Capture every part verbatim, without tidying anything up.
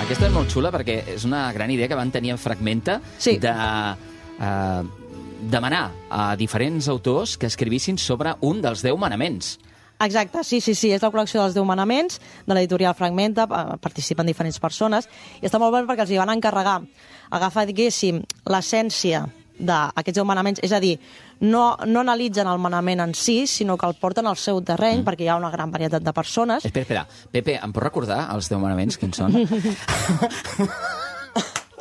Aquesta és molt xula perquè és una gran idea que van tenir en Fragmenta Sí. de eh, demanar a diferents autors que escrivissin sobre un dels deu manaments. Exacte, sí, sí, sí, és la col·lecció dels deu manaments de l'editorial Fragmenta, eh, participen diferents persones, i està molt bé perquè els hi van encarregar agafar, diguéssim, l'essència d'aquests deu manaments, és a dir, no, no analitzen el manament en si, sinó que el porten al seu terreny, mm. perquè hi ha una gran varietat de persones. Espera, espera, Pepe, em pots recordar els deu manaments, quins són?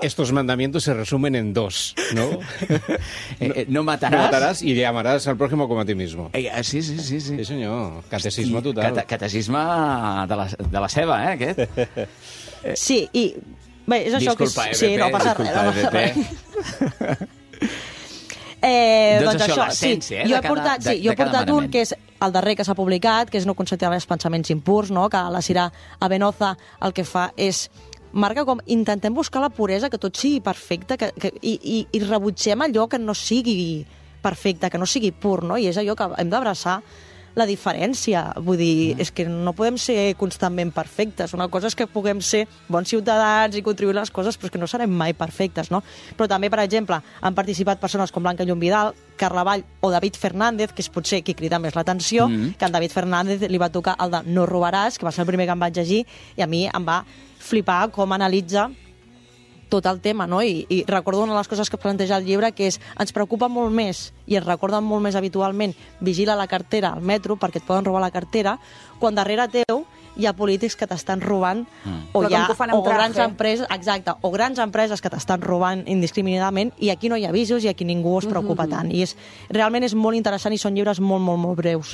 Estos mandamientos se resumen en dos, ¿no? eh, eh, no matarás. No matarás y amarás al prójimo como a ti mismo. Eh, sí, sí, sí, sí. Sí, senyor. Catecisme total. Cate catecisme de la, de la seva, eh, aquest. Sí, i... Bé, és això disculpa, que... Eh, sí, Pepe, no passa disculpa, res, no passa Pepe. res. Eh, doncs, doncs això, això, sí. l'essència, eh, Jo de he cada- portat, de- sí, jo de he cada portat un manament. que és el darrer que s'ha publicat, que és No consentir els pensaments impurs, no? Que la Sira Avenoza el que fa és marca com intentem buscar la puresa, que tot sigui perfecte, que, que, i, i, i rebutgem allò que no sigui perfecte, que no sigui pur, no? I és allò que hem d'abraçar la diferència. Vull dir, mm. és que no podem ser constantment perfectes. Una cosa és que puguem ser bons ciutadans i contribuir a les coses, però és que no serem mai perfectes, no? Però també, per exemple, han participat persones com Blanca Llum Vidal, Carla Vall o David Fernández, que és potser qui crida més l'atenció, mm. que a en David Fernández li va tocar el de No robaràs, que va ser el primer que em vaig llegir, i a mi em va flipar com analitza tot el tema, no? I, I recordo una de les coses que planteja el llibre, que és ens preocupa molt més i ens recorden molt més habitualment vigila la cartera al metro perquè et poden robar la cartera, quan darrere teu hi ha polítics que t'estan robant mm. o, Però hi ha, com que ho fan o amb traje. grans empreses, exacte, o grans empreses que t'estan robant indiscriminadament, i aquí no hi ha avisos i aquí ningú es preocupa mm-hmm. tant. I és, realment és molt interessant i són llibres molt, molt, molt breus.